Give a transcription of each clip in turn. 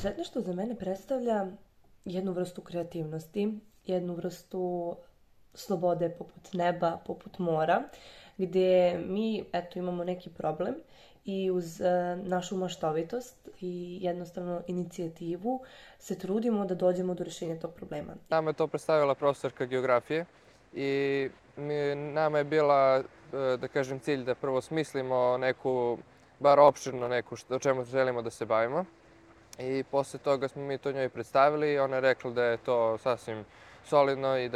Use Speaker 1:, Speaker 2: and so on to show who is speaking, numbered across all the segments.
Speaker 1: Preduzetništvo za mene predstavlja jednu vrstu kreativnosti, jednu vrstu slobode poput neba, poput mora, gdje mi imamo neki problem i uz našu maštovitost i jednostavno inicijativu se trudimo da dođemo do rješenja tog problema.
Speaker 2: Nama je to predstavila profesorka geografije i nama je bila, da kažem, cilj da prvo smislimo neku, bar opširno neku, o čemu želimo da se bavimo. I posle toga smo mi to njoj predstavili i ona je rekla da je to sasvim solidno i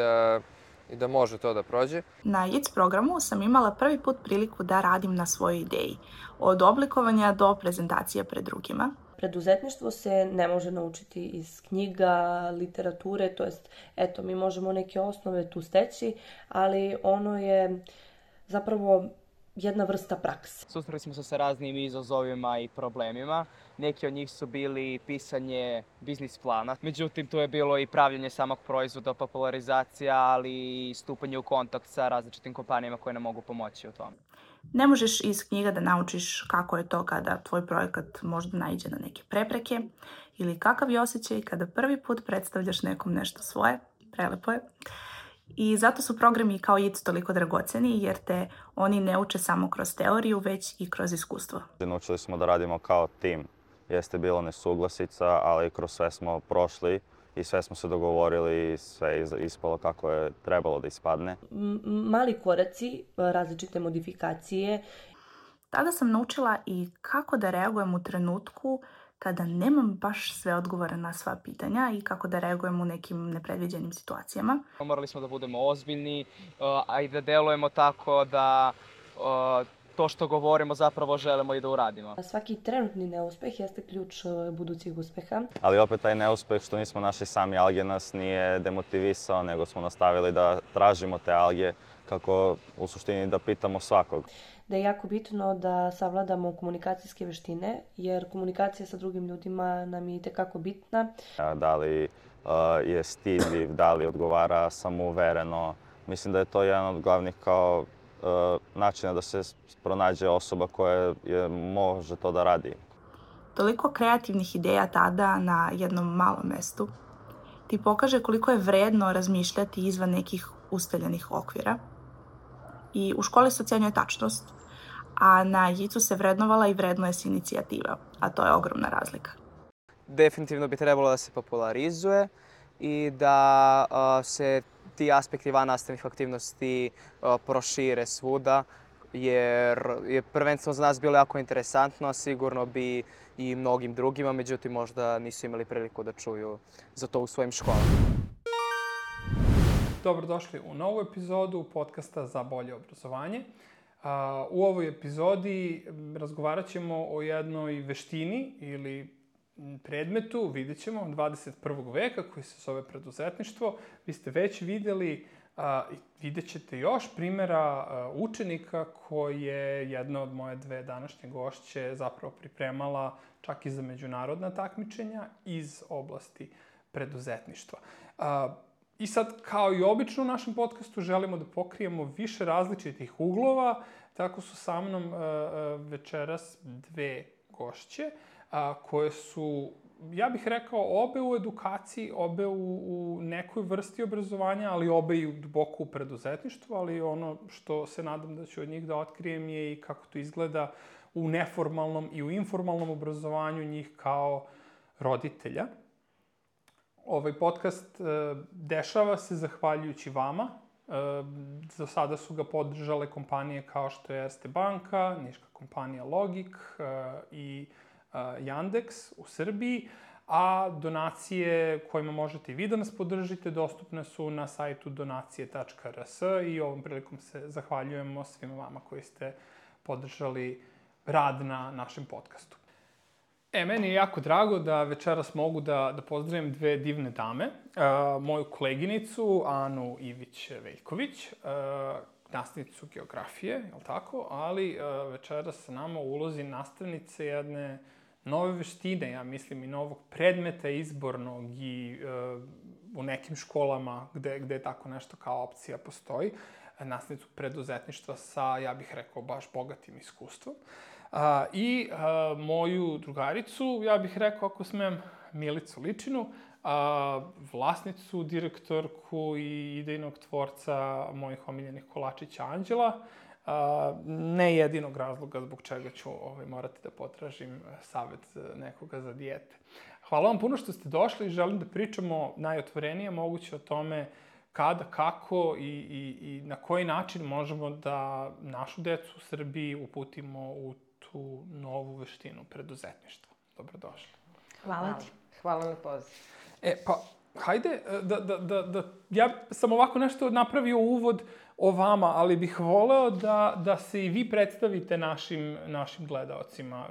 Speaker 2: da može to da prođe.
Speaker 3: Na ITS programu sam imala prvi put priliku da radim na svojoj ideji, od oblikovanja do prezentacije pred drugima.
Speaker 1: Preduzetništvo se ne može naučiti iz knjiga, literature, to jest, mi možemo neke osnove tu steći, ali ono je zapravo jedna vrsta prakse.
Speaker 4: Susreli smo se sa raznim izazovima i problemima. Neki od njih su bili pisanje biznis plana. Međutim, tu je bilo i pravljenje samog proizvoda, popularizacija, ali i stupanje u kontakt sa različitim kompanijama koje nam mogu pomoći u tome.
Speaker 3: Ne možeš iz knjiga da naučiš kako je to kada tvoj projekat možda naiđe na neke prepreke ili kakav je osjećaj kada prvi put predstavljaš nekom nešto svoje. Prelepo je. I zato su programi kao ITS toliko dragoceni jer te oni ne uče samo kroz teoriju, već i kroz iskustvo.
Speaker 5: Naučili smo da radimo kao tim. Jeste bilo nesuglasica, ali kroz sve smo prošli i sve smo se dogovorili i sve je ispalo kako je trebalo da ispadne.
Speaker 1: Mali koraci, različite modifikacije.
Speaker 3: Tada sam naučila i kako da reagujem u trenutku kada nemam baš sve odgovore na sva pitanja i kako da reagujem u nekim nepredviđenim situacijama.
Speaker 4: Morali smo da budemo ozbiljni, a i da delujemo tako da to što govorimo zapravo želimo i da uradimo.
Speaker 1: Svaki trenutni neuspeh jeste ključ budućeg uspeha.
Speaker 5: Ali opet taj neuspeh što nismo našli sami alge nas nije demotivisao, nego smo nastavili da tražimo te alge kako u suštini da pitamo svakog.
Speaker 1: Da je jako bitno da savladamo komunikacijske veštine, jer komunikacija sa drugim ljudima nam je itekako bitna.
Speaker 5: Da li je stidljiv, da li odgovara samouvereno. Mislim da je to jedan od glavnih kao načina da se pronađe osoba koja može to da radi.
Speaker 3: Toliko kreativnih ideja tada na jednom malom mestu ti pokaže koliko je vredno razmišljati izvan nekih ustaljenih okvira. I u školi se ocenjuje tačnost, a na ITS-u se vrednovala i vrednuje se inicijativa, a to je ogromna razlika.
Speaker 4: Definitivno bi trebalo da se popularizuje i da se ti aspekti vannastavnih aktivnosti prošire svuda, jer je prvenstveno za nas bilo jako interesantno, a sigurno bi i mnogim drugima, međutim možda nisu imali priliku da čuju za to u svojim školama.
Speaker 6: Dobrodošli u novu epizodu podcasta za bolje obrazovanje. U ovoj epizodi razgovarat ćemo o jednoj veštini ili predmetu, vidjet ćemo, 21. veka koji se zove preduzetništvo. Vi ste već vidjeli i vidjet ćete još primjera učenika koje jedna od moje dve današnje gošće zapravo pripremala čak i za međunarodna takmičenja iz oblasti preduzetništva. I sad, kao i obično u našem podcastu, želimo da pokrijemo više različitih uglova. Tako su sa mnom večeras dve gošće koje su, ja bih rekao, obe u edukaciji, obe u nekoj vrsti obrazovanja, ali obe i duboko u preduzetništvu, ali ono što se nadam da ću od njih da otkrijem je i kako to izgleda u neformalnom i u informalnom obrazovanju njih kao roditelja. Ovaj podcast dešava se zahvaljujući vama. Do sada su ga podržale kompanije kao što je Erste banka, niška kompanija Logik i Yandex u Srbiji, a donacije kojima možete i vi da nas podržite dostupne su na sajtu donacije.rs i ovom prilikom se zahvaljujemo svima vama koji ste podržali rad na našem podcastu. Meni je jako drago da večeras mogu da pozdravim dve divne dame. Moju koleginicu Anu Ivić-Veljković, nastavnicu geografije, jel tako? Ali večeras sa nama u ulozi nastavnice jedne nove veštine, ja mislim i novog predmeta izbornog i u nekim školama gde tako nešto kao opcija postoji. Nastavnicu preduzetništva sa, ja bih rekao, baš bogatim iskustvom. I moju drugaricu, ja bih rekao, ako smem Milicu Ličinu, vlasnicu, direktorku i idejnog tvorca mojih omiljenih kolačića Anđela. Ne jedinog razloga zbog čega ću morati da potražim savet nekoga za dijete. Hvala vam puno što ste došli i želim da pričamo najotvorenije moguće o tome kada, kako i na koji način možemo da našu decu u Srbiji uputimo u tu novu veštinu preduzetništva. Dobrodošli.
Speaker 3: Hvala ti.
Speaker 7: Hvala na pozivu.
Speaker 6: Pa, hajde ja sam ovako nešto napravio uvod o vama, ali bih voleo da se i vi predstavite našim gledaocima.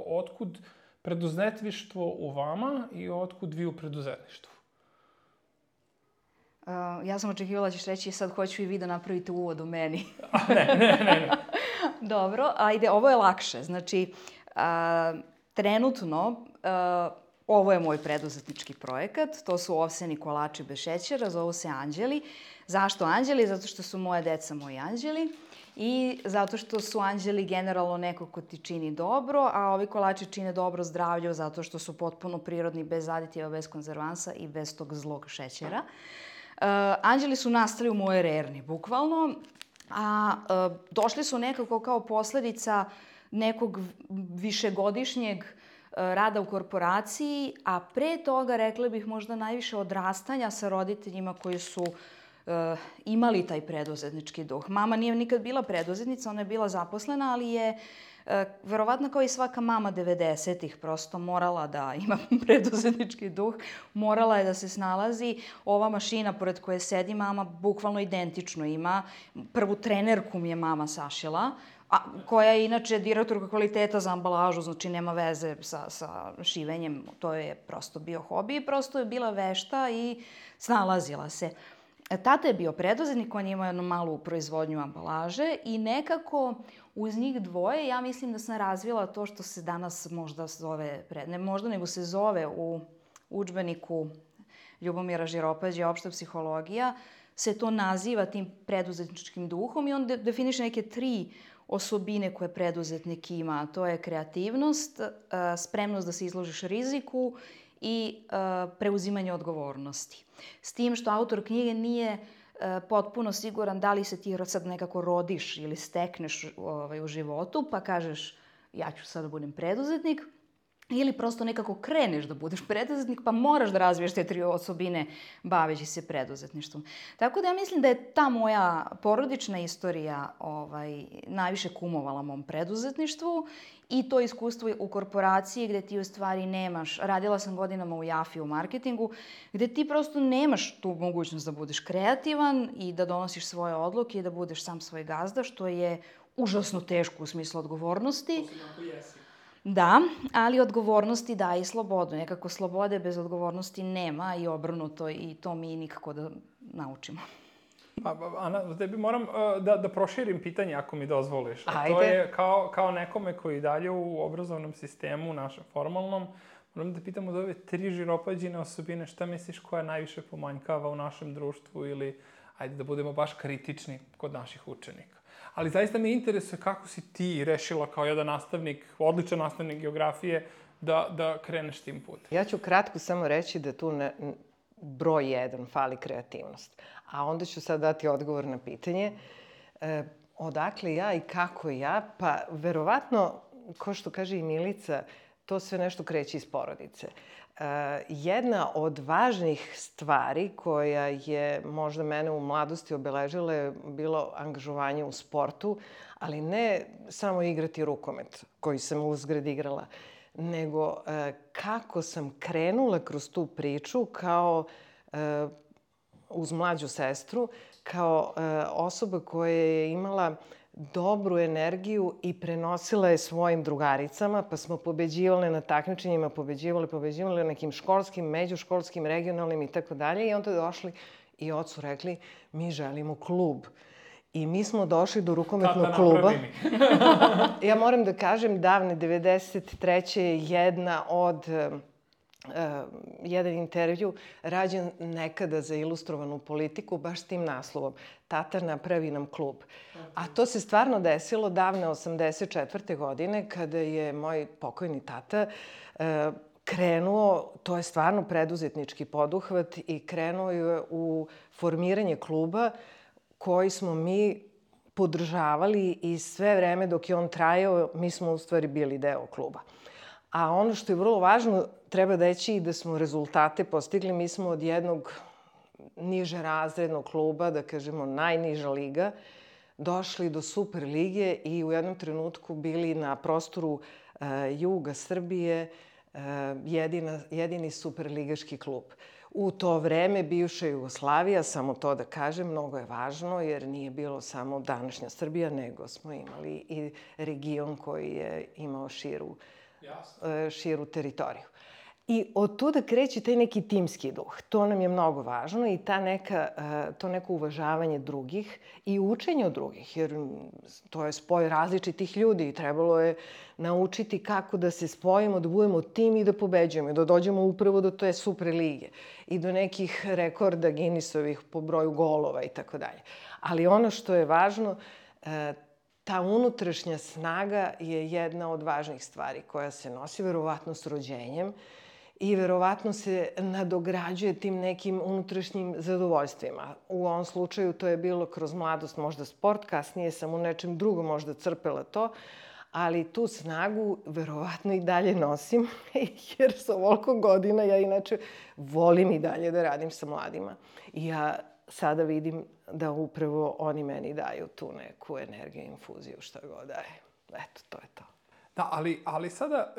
Speaker 6: Otkud preduzetništvo u vama i otkud vi u preduzetništvu?
Speaker 8: Ja sam očekivala da ćeš reći sad hoću i vi da napravite uvod u meni.
Speaker 6: Ne.
Speaker 8: Dobro, ajde, ovo je lakše. Znači, trenutno ovo je moj preduzetnički projekat. To su ovseni kolači bez šećera, zovu se Anđeli. Zašto Anđeli? Zato što su moje deca moji anđeli i zato što su anđeli generalno neko ko ti čini dobro, a ovi kolači čine dobro zdravlju zato što su potpuno prirodni, bez aditiva, bez konzervansa i bez tog zlog šećera. Anđeli su nastali u mojoj rerni, bukvalno, a došli su nekako kao posledica nekog višegodišnjeg rada u korporaciji, a pre toga, rekla bih, možda najviše odrastanja sa roditeljima koji su imali taj preduzetnički duh. Mama nije nikad bila preduzetnica, ona je bila zaposlena, ali je verovatno kao i svaka mama 90-ih prosto morala da ima preduzetnički duh, morala je da se snalazi. Ova mašina pored koje sedi mama bukvalno identično ima. Prvu trenerku mi je mama sašila, koja je inače direktorka kvaliteta za ambalažu, znači nema veze sa šivenjem, to je prosto bio hobi i prosto je bila vešta i snalazila se. Tata je bio preduzetnik, on je imao jednu malu proizvodnju ambalaže i nekako uz njih dvoje ja mislim da sam razvila to što se danas možda zove, ne možda nego se zove u udžbeniku Ljubomira Žiropađe, opšta psihologija, se to naziva tim preduzetničkim duhom i on definiše neke 3 osobine koje preduzetnik ima. To je kreativnost, spremnost da se izložiš riziku i preuzimanje odgovornosti. S tim što autor knjige nije potpuno siguran da li se ti sad nekako rodiš ili stekneš u životu, pa kažeš ja ću sad da budem preduzetnik, ili prosto nekako kreneš da budeš preduzetnik, pa moraš da razviješ te 3 osobine baveći se preduzetništvom. Tako da ja mislim da je ta moja porodična istorija najviše kumovala mom preduzetništvu i to iskustvo u korporaciji gde ti u stvari nemaš, radila sam godinama u Jafi u marketingu, gde ti prosto nemaš tu mogućnost da budeš kreativan i da donosiš svoje odluke i da budeš sam svoj gazda, što je užasno teško u smislu odgovornosti. Da, ali odgovornosti da i slobodu. Nekako slobode bez odgovornosti nema i obrnuto i to mi nikako da naučimo.
Speaker 6: Ana, tebi moram da proširim pitanje ako mi dozvoliš.
Speaker 7: Ajde.
Speaker 6: To je kao nekome koji dalje u obrazovnom sistemu, našem formalnom, moram da pitam od ove 3 Žiropađine osobine, šta misliš koja najviše pomanjkava u našem društvu ili, ajde da budemo baš kritični kod naših učenika. Ali zaista me interesuje kako si ti rešila kao jedan nastavnik, odličan nastavnik geografije, da kreneš tim putem.
Speaker 7: Ja ću kratko samo reći da tu broj 1 fali kreativnost. A onda ću sad dati odgovor na pitanje. Odakle ja i kako ja? Pa verovatno, ko što kaže i Milica, to sve nešto kreće iz porodice. Jedna od važnih stvari koja je možda mene u mladosti obeležila je bilo angažovanje u sportu, ali ne samo igrati rukomet, koji sam uzgred igrala, nego kako sam krenula kroz tu priču kao uz mlađu sestru, kao osoba koja je imala dobru energiju i prenosila je svojim drugaricama, pa smo pobeđivale na takmičenjima, pobeđivale na nekim školskim, međuškolskim, regionalnim i tako dalje. I onda došli i ocu rekli, mi želimo klub. I mi smo došli do rukometnog kluba. Ja moram da kažem, davne 93. je jedan intervju rađen nekada za Ilustrovanu politiku, baš s tim naslovom. Tata napravi nam klub. A to se stvarno desilo davne 84. godine, kada je moj pokojni tata krenuo, to je stvarno preduzetnički poduhvat i krenuo je u formiranje kluba koji smo mi podržavali i sve vreme dok je on trajao, mi smo u stvari bili deo kluba. A ono što je vrlo važno, treba reći i da smo rezultate postigli. Mi smo od jednog niže razrednog kluba, da kažemo najniža liga, došli do Super lige i u jednom trenutku bili na prostoru juga Srbije jedini superligaški klub. U to vreme bivša Jugoslavija, samo to da kažem, mnogo je važno jer nije bilo samo današnja Srbija, nego smo imali i region koji je imao širu teritoriju. I od tuda kreće taj neki timski duh. To nam je mnogo važno i to neko uvažavanje drugih i učenje od drugih, jer to je spoj različitih ljudi i trebalo je naučiti kako da se spojimo, da budemo tim i da pobeđujemo, da dođemo upravo do te super lige i do nekih rekorda Guinnessovih po broju golova i tako dalje. Ali ono što je važno, ta unutrašnja snaga je jedna od važnih stvari koja se nosi verovatno s rođenjem i verovatno se nadograđuje tim nekim unutrašnjim zadovoljstvima. U ovom slučaju to je bilo kroz mladost možda sport, kasnije sam u nečem drugom možda crpela to, ali tu snagu verovatno i dalje nosim, jer sa ovoliko godina ja inače volim i dalje da radim sa mladima. I ja sada vidim da upravo oni meni daju tu neku energiju, infuziju, šta god daje. Eto, to je to.
Speaker 6: Da, ali sada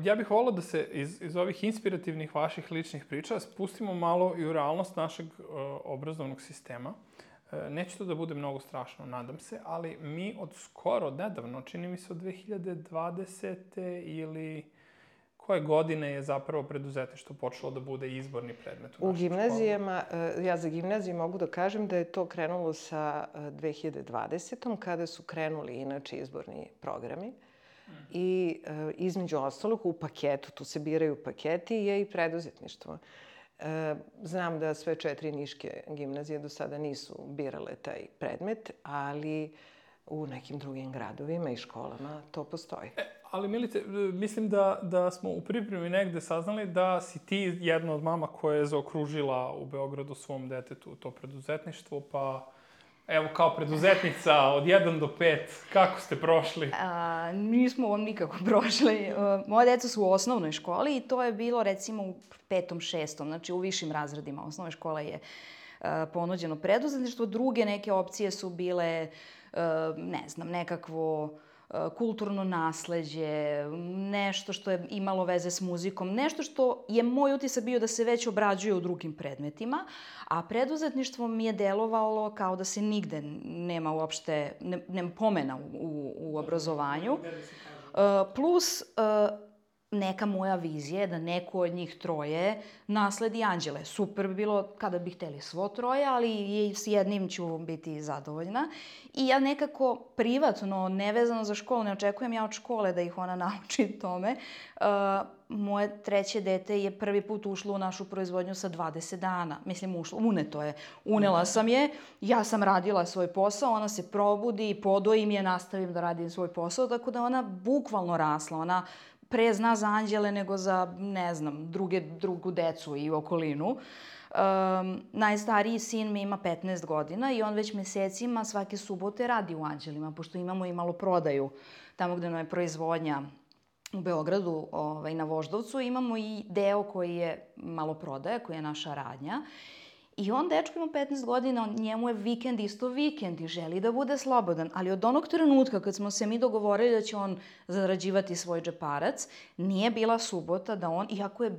Speaker 6: ja bih volao da se iz ovih inspirativnih vaših ličnih priča spustimo malo i u realnost našeg obrazovnog sistema. Neće to da bude mnogo strašno, nadam se, ali mi od skoro, nedavno, čini mi se od 2020. ili koje godine je zapravo preduzetništvo počelo da bude izborni predmet u našim
Speaker 7: gimnazijama, ja za gimnaziju mogu da kažem da je to krenulo sa 2020. kada su krenuli inače izborni programi. I između ostalog u paketu, tu se biraju paketi, je i preduzetništvo. Znam da sve 4 niške gimnazije do sada nisu birale taj predmet, ali u nekim drugim gradovima i školama to postoji.
Speaker 6: Ali Milice, mislim da smo u pripremi negde saznali da si ti jedna od mama koja je zaokružila u Beogradu svom detetu to preduzetništvo, pa evo, kao preduzetnica od 1 do 5, kako ste prošli?
Speaker 8: Nismo on nikako prošli. Moje deca su u osnovnoj školi i to je bilo recimo u 5., 6., znači u višim razredima. Osnovna škola je ponuđeno preduzetništvo. Druge neke opcije su bile, ne znam, nekakvo kulturno nasleđe, nešto što je imalo veze s muzikom, nešto što je moj utisak bio da se već obrađuje u drugim predmetima, a preduzetništvo mi je delovalo kao da se nigde nema uopšte, nema pomena u obrazovanju. Plus neka moja vizija je da neko od njih 3 nasledi anđele. Super bi bilo kada bi hteli svo 3, ali s jednim ću biti zadovoljna. I ja nekako privatno, nevezano za školu, ne očekujem ja od škole da ih ona nauči tome. Moje 3. dete je prvi put ušlo u našu proizvodnju sa 20 dana. Mislim, uneto je. Unela sam je, ja sam radila svoj posao, ona se probudi, podojim je, nastavim da radim svoj posao, tako da ona bukvalno rasla. Ona pre zna za anđele nego za, ne znam, drugu decu i okolinu. Najstariji sin mi ima 15 godina i on već mesecima svake subote radi u Anđelima, pošto imamo i maloprodaju tamo gde nam je proizvodnja u Beogradu, na Voždovcu. Imamo i deo koji je maloprodaja, koji je naša radnja. I on, dečko ima 15 godina, njemu je vikend isto vikend i želi da bude slobodan. Ali od onog trenutka kad smo se mi dogovorili da će on zarađivati svoj džeparac, nije bila subota da on, iako je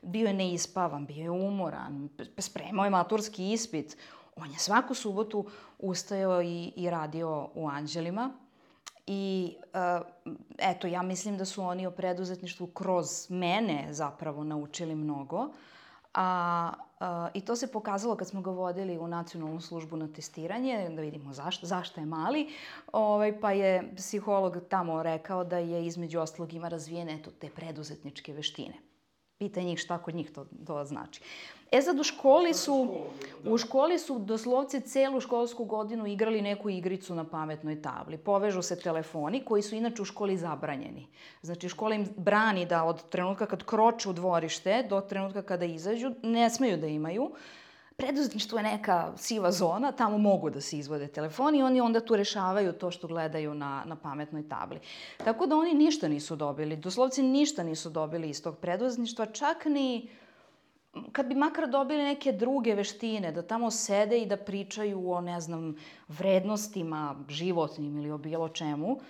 Speaker 8: bio je neispavan, bio je umoran, spremao je maturski ispit, on je svaku subotu ustajao i radio u Anđelima. I eto, ja mislim da su oni o preduzetništvu kroz mene zapravo naučili mnogo. I to se pokazalo kad smo ga vodili u nacionalnu službu na testiranje, da vidimo zašto je mali, pa je psiholog tamo rekao da je između ostalog ima razvijene te preduzetničke veštine. Pitaj njih šta kod njih to znači. Sad u školi su doslovce celu školsku godinu igrali neku igricu na pametnoj tabli. Povežu se telefoni koji su inače u školi zabranjeni. Znači škola im brani da od trenutka kad kroče u dvorište do trenutka kada izađu ne smeju da imaju. Preduzetništvo je neka siva zona, tamo mogu da se izvode telefoni i oni onda tu rešavaju to što gledaju na pametnoj tabli. Tako da oni ništa nisu dobili, doslovce ništa nisu dobili iz tog preduzetništva, čak ni kad bi makar dobili neke druge veštine, da tamo sede i da pričaju o, ne znam, vrednostima životnim ili o bilo čemu.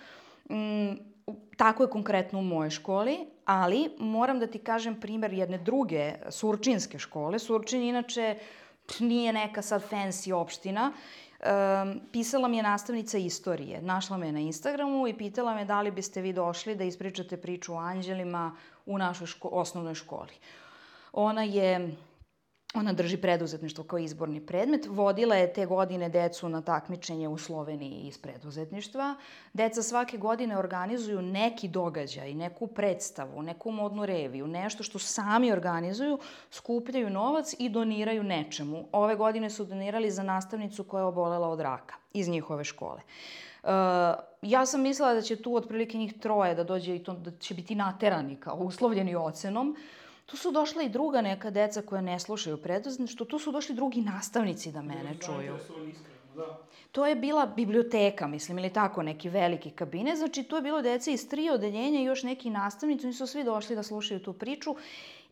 Speaker 8: Tako je konkretno u mojoj školi, ali moram da ti kažem primer jedne druge surčinske škole. Surčin inače nije neka sad fancy opština. Pisala mi je nastavnica istorije. Našla me na Instagramu i pitala me da li biste vi došli da ispričate priču o anđelima u našoj osnovnoj školi. Ona drži preduzetništvo kao izborni predmet. Vodila je te godine decu na takmičenje u Sloveniji iz preduzetništva. Deca svake godine organizuju neki događaj, neku predstavu, neku modnu reviju, nešto što sami organizuju, skupljaju novac i doniraju nečemu. Ove godine su donirali za nastavnicu koja je obolela od raka iz njihove škole. Ja sam mislila da će tu otprilike njih 3 da dođe i to da će biti naterani kao uslovljeni ocenom. Tu su došla i druga neka deca koja ne slušaju preduzetništvo, tu su došli drugi nastavnici da mene čuju. To je bila biblioteka, mislim, ili tako, neki veliki kabinet. Znači, tu je bilo deca iz 3 odeljenja i još neki nastavnici. Oni su svi došli da slušaju tu priču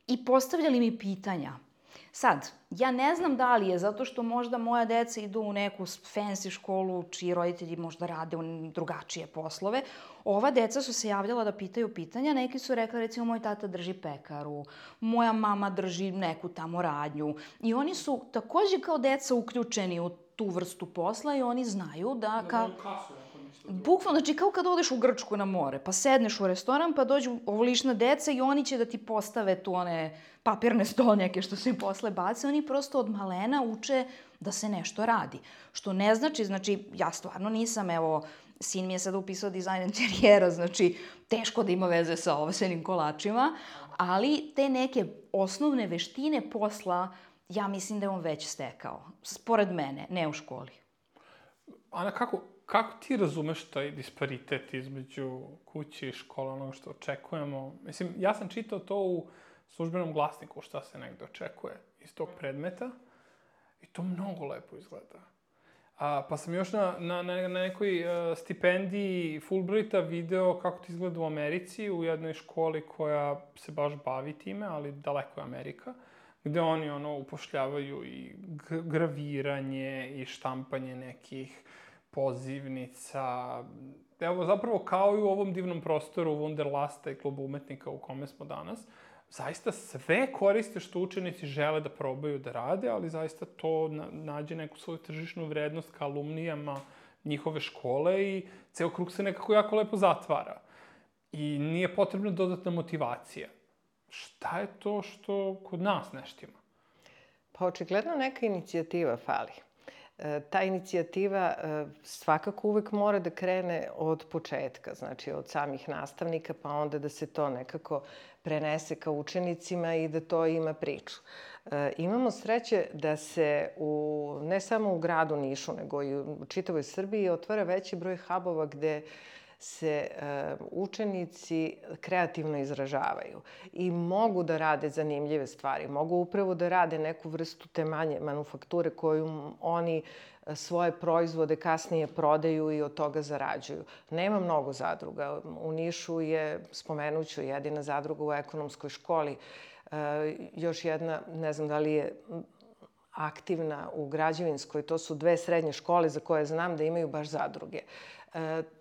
Speaker 8: i postavljali mi pitanja. Sad, ja ne znam da li je zato što možda moja deca idu u neku fancy školu čiji roditelji možda rade drugačije poslove. Ova deca su se javljala da pitaju pitanja. Neki su rekli, recimo, moj tata drži pekaru, moja mama drži neku tamo radnju. I oni su takođe kao deca uključeni u tu vrstu posla i oni znaju da bukvalno, znači kao kad odeš u Grčku na more, pa sedneš u restoran, pa dođu ovolična deca i oni će da ti postave tu one papirne stolnjake što se im posle bace. Oni prosto od malena uče da se nešto radi. Što ne znači, ja stvarno nisam, evo, sin mi je sad upisao dizajn interijera, znači teško da ima veze sa ovsenim kolačima, ali te neke osnovne veštine posla, ja mislim da je on već stekao. Pored mene, ne u školi.
Speaker 6: Ana, kako ti razumeš taj disparitet između kuće i škola, onoga što očekujemo? Mislim, ja sam čitao to u službenom glasniku šta se negde očekuje iz tog predmeta i to mnogo lepo izgleda. Pa sam još na nekoj stipendiji Fulbrighta video kako to izgleda u Americi, u jednoj školi koja se baš bavi time, ali daleko je Amerika, gde oni upošljavaju i graviranje i štampanje nekih pozivnica. Evo, zapravo kao i u ovom divnom prostoru Wunderlasta i klubu umetnika u kome smo danas, zaista sve koriste što učenici žele da probaju da rade, ali zaista to nađe neku svoju tržišnu vrednost ka alumnijama njihove škole i ceo krug se nekako jako lepo zatvara. I nije potrebna dodatna motivacija. Šta je to što kod nas ne štima?
Speaker 7: Pa očigledno neka inicijativa fali. Ta inicijativa svakako uvek mora da krene od početka, znači od samih nastavnika, pa onda da se to nekako prenese ka učenicima i da to ima priču. Imamo sreće da se ne samo u gradu Nišu, nego i u čitavoj Srbiji otvara veći broj hubova gde se učenici kreativno izražavaju i mogu da rade zanimljive stvari, mogu upravo da rade neku vrstu te manje manufakture koju oni svoje proizvode kasnije prodaju i od toga zarađuju. Nema mnogo zadruga. U Nišu je, spomenuću, jedina zadruga u ekonomskoj školi. Još jedna, ne znam da li je aktivna u građevinskoj, to su 2 srednje škole za koje znam da imaju baš zadruge.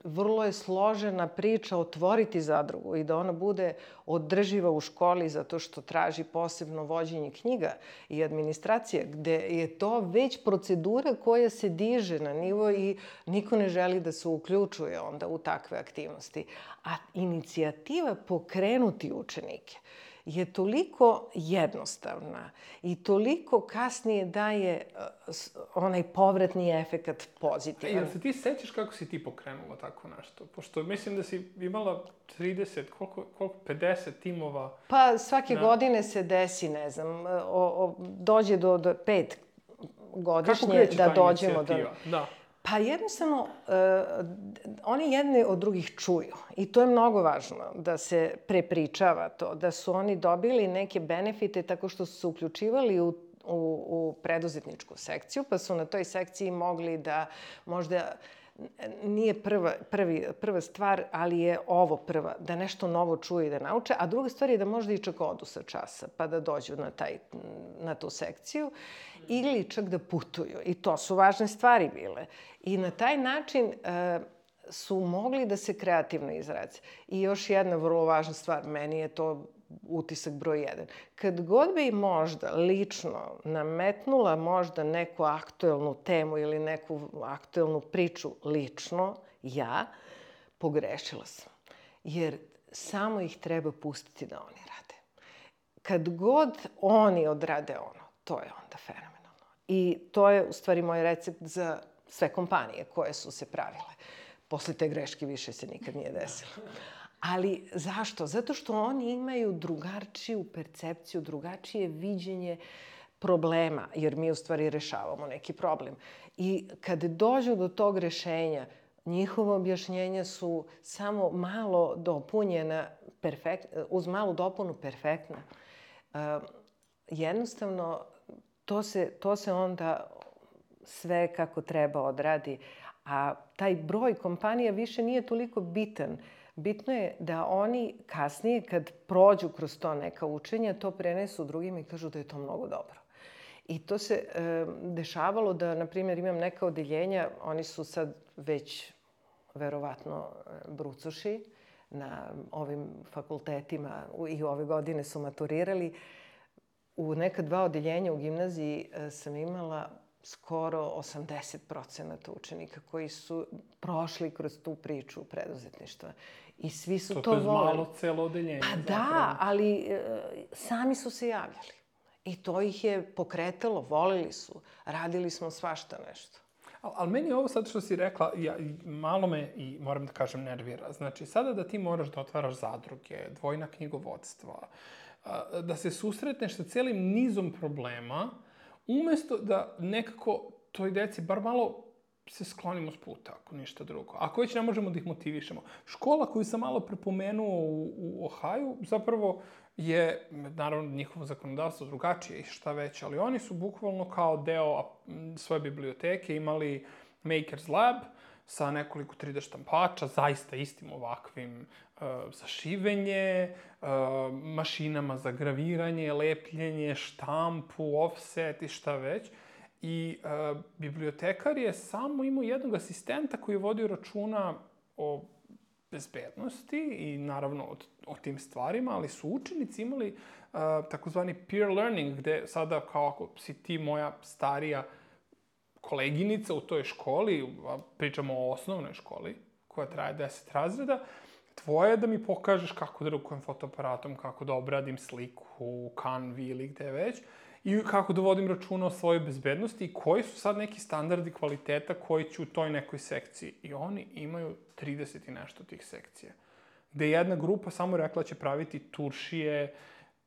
Speaker 7: Vrlo je složena priča otvoriti zadrugu i da ona bude održiva u školi zato što traži posebno vođenje knjiga i administracije, gde je to već procedura koja se diže na nivo i niko ne želi da se uključuje onda u takve aktivnosti. A inicijativa pokrenuti učenike je toliko jednostavna i toliko kasnije daje onaj povratni efekat pozitivan.
Speaker 6: Jel se ti sećaš kako si ti pokrenula tako nešto? Pošto mislim da si imala 30, koliko 50 timova.
Speaker 7: Pa svake godine se desi, ne znam, dođe do 5 godišnje da dođemo do...
Speaker 6: Da.
Speaker 7: Pa jednostavno, oni jedni od drugih čuju i to je mnogo važno, da se prepričava to, da su oni dobili neke benefite tako što su se uključivali u preduzetničku sekciju, pa su na toj sekciji mogli da možda nije prva stvar, ali je ovo prva, da nešto novo čuju i da nauče, a druga stvar je da možda i čak odu sa časa, pa da dođu na tu sekciju, ili čak da putuju. I to su važne stvari bile. I na taj način su mogli da se kreativno izraze. I još jedna vrlo važna stvar, meni je to utisak broj 1. Kad god bi možda lično nametnula možda neku aktuelnu temu ili neku aktuelnu priču lično, ja pogrešila sam. Jer samo ih treba pustiti da oni rade. Kad god oni odrade ono, to je onda fenomenalno. I to je u stvari moj recept za sve kompanije koje su se pravile. Posle te greške više se nikad nije desilo. Ali zašto? Zato što oni imaju drugačiju percepciju, drugačije viđenje problema, jer mi u stvari rešavamo neki problem. I kad dođu do tog rešenja, njihova objašnjenja su samo malo dopunjena, uz malu dopunu perfektna. Jednostavno, to se onda sve kako treba odradi. A taj broj kompanija više nije toliko bitan. Bitno je da oni kasnije, kad prođu kroz to neka učenja, to prenesu drugima i kažu da je to mnogo dobro. I to se dešavalo da, na primjer, imam neka odeljenja, oni su sad već, verovatno, brucoši na ovim fakultetima i ove godine su maturirali. U neka 2 odeljenja u gimnaziji sam imala skoro 80% učenika koji su prošli kroz tu priču preduzetništva. I svi su to voleli.
Speaker 6: To je malo celo odeljenje.
Speaker 7: Pa da, ali sami su se javljali. I to ih je pokretalo, voleli su. Radili smo svašta nešto.
Speaker 6: Ali meni ovo sad što si rekla, malo me i moram da kažem nervira. Znači, sada da ti moraš da otvaraš zadruge, dvojna knjigovodstva, da se susretneš sa celim nizom problema, umesto da nekako toj deci bar malo se sklonimo s puta, ako ništa drugo. Ako već ne možemo da ih motivišemo. Škola koju sam malo prepomenuo u Ohaju, zapravo je, naravno, njihovo zakonodavstvo drugačije i šta već, ali oni su bukvalno kao deo svoje biblioteke imali Maker's Lab sa nekoliko 3D štampača, zaista istim ovakvim za šivenje, mašinama za graviranje, lepljenje, štampu, offset i šta već. I bibliotekar je samo imao jednog asistenta koji je vodio računa o bezbednosti i naravno o tim stvarima, ali su učenici imali takozvani peer learning, gde sada kao ako si ti moja starija koleginica u toj školi, pričamo o osnovnoj školi koja traje 10 razreda, tvoje je da mi pokažeš kako da rukujem fotoaparatom, kako da obradim sliku u Canvi ili gde već, i kako da vodim računa o svojoj bezbednosti i koji su sad neki standardi kvaliteta koji će u toj nekoj sekciji. I oni imaju 30 i nešto tih sekcija. Gde jedna grupa samo rekla će praviti turšije,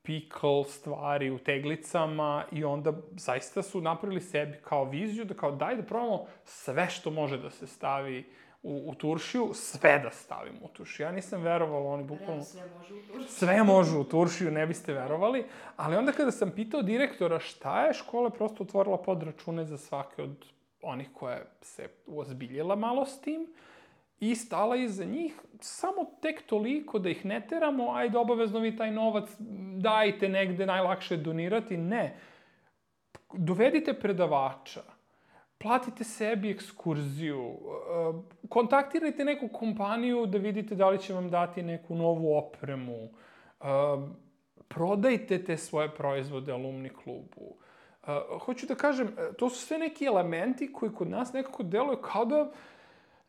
Speaker 6: pickle stvari u teglicama i onda zaista su napravili sebi kao viziju da kao daj da probamo sve što može da se stavi u turšiju, sve da stavimo u turšiju. Ja nisam verovala, oni bukvalno...
Speaker 8: Sve može u turšiju.
Speaker 6: Sve može u turšiju, ne biste verovali. Ali onda kada sam pitao direktora šta je, škola je prosto otvorila podračune za svake od onih koja se uozbiljila malo s tim i stala iza njih samo tek toliko da ih ne teramo, ajde obavezno vi taj novac dajte negde, najlakše je donirati. Ne. Dovedite predavača. Platite sebi ekskurziju, kontaktirajte neku kompaniju da vidite da li će vam dati neku novu opremu, prodajte te svoje proizvode alumni klubu. Hoću da kažem, to su sve neki elementi koji kod nas nekako deluju kao da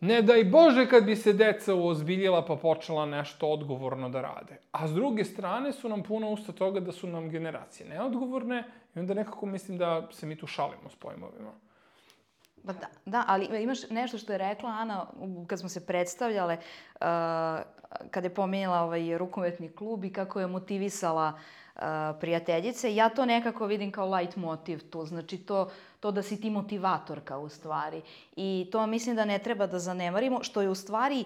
Speaker 6: Ne daj Bože kad bi se deca uozbiljila pa počela nešto odgovorno da rade. A s druge strane su nam puna usta toga da su nam generacije neodgovorne i onda nekako mislim da se mi tu šalimo s pojmovima.
Speaker 8: Pa da, ali imaš nešto što je rekla Ana kad smo se predstavljale, kada je pomenjala rukometni klub i kako je motivisala prijateljice. Ja to nekako vidim kao light motiv tu, znači to da si ti motivatorka u stvari. I to mislim da ne treba da zanemarimo, što je u stvari,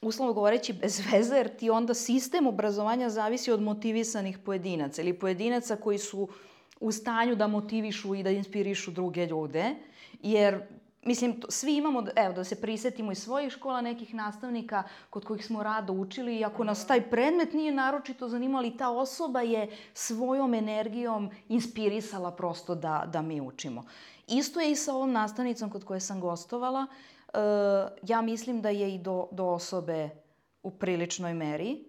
Speaker 8: uslovno govoreći, bez veze, jer ti onda sistem obrazovanja zavisi od motivisanih pojedinaca ili pojedinaca koji su u stanju da motivišu i da inspirišu druge ljude, jer mislim, svi imamo, evo da se prisetimo iz svojih škola nekih nastavnika kod kojih smo rado učili i ako nas taj predmet nije naročito zanimali, ta osoba je svojom energijom inspirisala prosto da mi učimo. Isto je i sa ovom nastavnicom kod koje sam gostovala. Ja mislim da je i do osobe u priličnoj meri.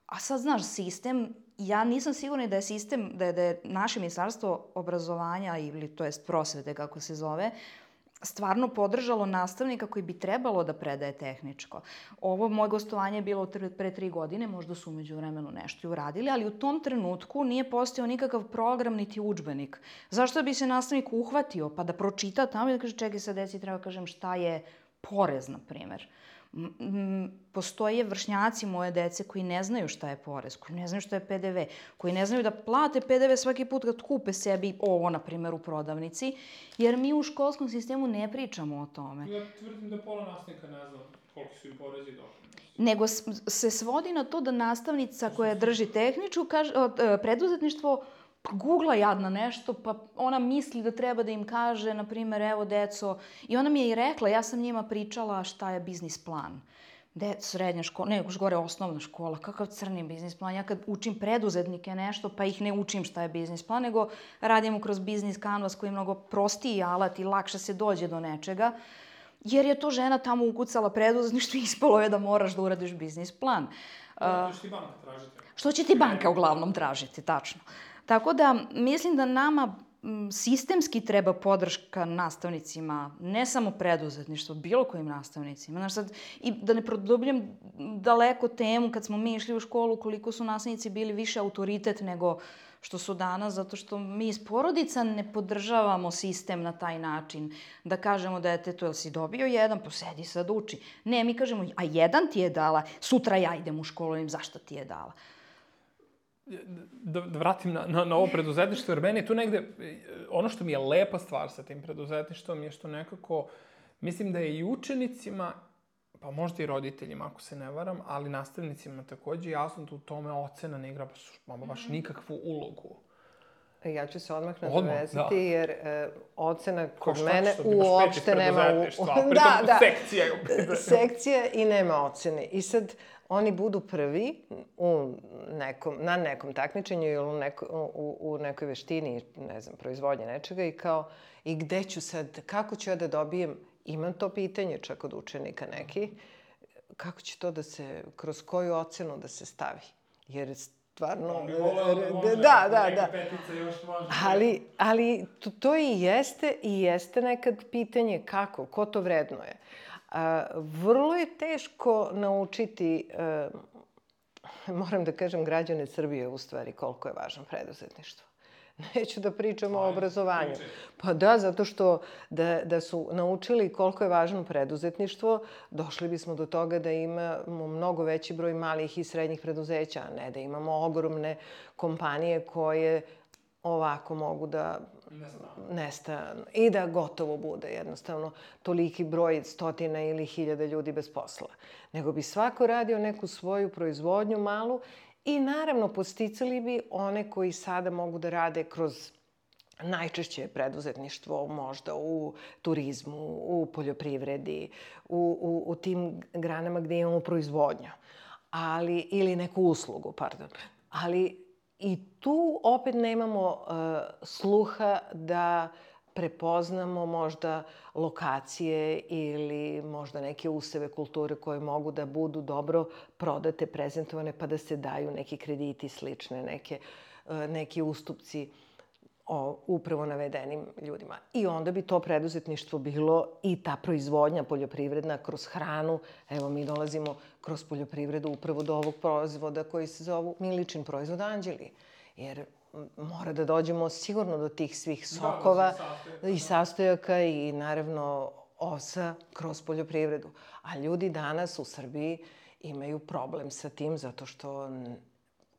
Speaker 8: A sad, znaš, sistem, ja nisam sigurna da je sistem, da je naše ministarstvo obrazovanja ili to jest prosvete, kako se zove, stvarno podržalo nastavnika koji bi trebalo da predaje tehničko. Ovo moje gostovanje je bilo pre 3 godine, možda su umeđu vremenu nešto i uradili, ali u tom trenutku nije postojao nikakav program niti udžbenik. Zašto bi se nastavnik uhvatio pa da pročita tamo i da kaže čekaj sad deci treba kažem šta je porez, na primer. Postoje vršnjaci moje dece koji ne znaju šta je porez, koji ne znaju šta je PDV, koji ne znaju da plate PDV svaki put kad kupe sebi ovo, na primjer, u prodavnici, jer mi u školskom sistemu ne pričamo o tome.
Speaker 6: Ja tvrdim da pola nastavnika ne zna koliki su i porezi i doprinosi.
Speaker 8: Nego se svodi na to da nastavnica koja drži tehničku preduzetništvo googla jadna nešto, pa ona misli da treba da im kaže, na primjer, evo deco, i ona mi je i rekla, ja sam njima pričala šta je biznis plan. Srednja škola, ne, još gore osnovna škola, kakav crni biznis plan. Ja kad učim preduzetnike nešto, pa ih ne učim šta je biznis plan, nego radimo kroz biznis kanvas koji je mnogo prostiji alat i lakše se dođe do nečega, jer je to žena tamo ukucala preduzetništvo i ispalo je da moraš da uradiš biznis plan.
Speaker 6: Što će ti banka tražiti?
Speaker 8: Što će ti banka uglavnom tražiti, tačno. Tako da mislim da nama sistemski treba podrška nastavnicima, ne samo preduzetništvo, bilo kojim nastavnicima. Znaš sad, i da ne produbljem daleko temu, kad smo mi išli u školu, koliko su nastavnici bili više autoritet nego što su danas, zato što mi iz porodica ne podržavamo sistem na taj način. Da kažemo detetu, jel si dobio jedan, posedi sad uči. Ne, mi kažemo, a jedan ti je dala, sutra ja idem u školu, zašto ti je dala?
Speaker 6: Da vratim na ovo preduzetništvo, jer meni je tu negde, ono što mi je lepa stvar sa tim preduzetništvom je što nekako, mislim da je i učenicima, pa možda i roditeljima ako se ne varam, ali nastavnicima takođe jasno da u tome ocena ne igra baš nikakvu ulogu.
Speaker 7: Ja ću se odmah nadovezati, jer ocena kod mene uopšte nema... Sekcija i nema ocene. I sad oni budu prvi na nekom takmičenju ili u nekoj veštini, ne znam, proizvodnje nečega i gde ću sad, kako ću ja da dobijem, imam to pitanje čak od učenika neki, kako će to da se, kroz koju ocenu da se stavi? Jer stvarno... Da. Ali to i jeste nekad pitanje kako, ko to vrednuje. Vrlo je teško naučiti, moram da kažem, građane Srbije u stvari koliko je važno preduzetništvo. Neću da pričam o obrazovanju. Pa da, zato što da su naučili koliko je važno preduzetništvo, došli bismo do toga da imamo mnogo veći broj malih i srednjih preduzeća, a ne da imamo ogromne kompanije koje ovako mogu da nestanu i da gotovo bude jednostavno toliki broj stotina ili hiljada ljudi bez posla. Nego bi svako radio neku svoju proizvodnju malu i naravno podsticali bi one koji sada mogu da rade kroz najčešće preduzetništvo, možda u turizmu, u poljoprivredi, u tim granama gde imamo proizvodnju, ili neku uslugu, pardon. Ali i tu opet nemamo sluha da prepoznamo možda lokacije ili možda neke useve kulture koje mogu da budu dobro prodate, prezentovane, pa da se daju neki krediti slične, neki ustupci. upravo navedenim ljudima. I onda bi to preduzetništvo bilo i ta proizvodnja poljoprivredna kroz hranu. Evo, mi dolazimo kroz poljoprivredu upravo do ovog proizvoda koji se zovu Miličin proizvod Anđeli. Jer mora da dođemo sigurno do tih svih sokova i sastojaka i naravno osa kroz poljoprivredu. A ljudi danas u Srbiji imaju problem sa tim zato što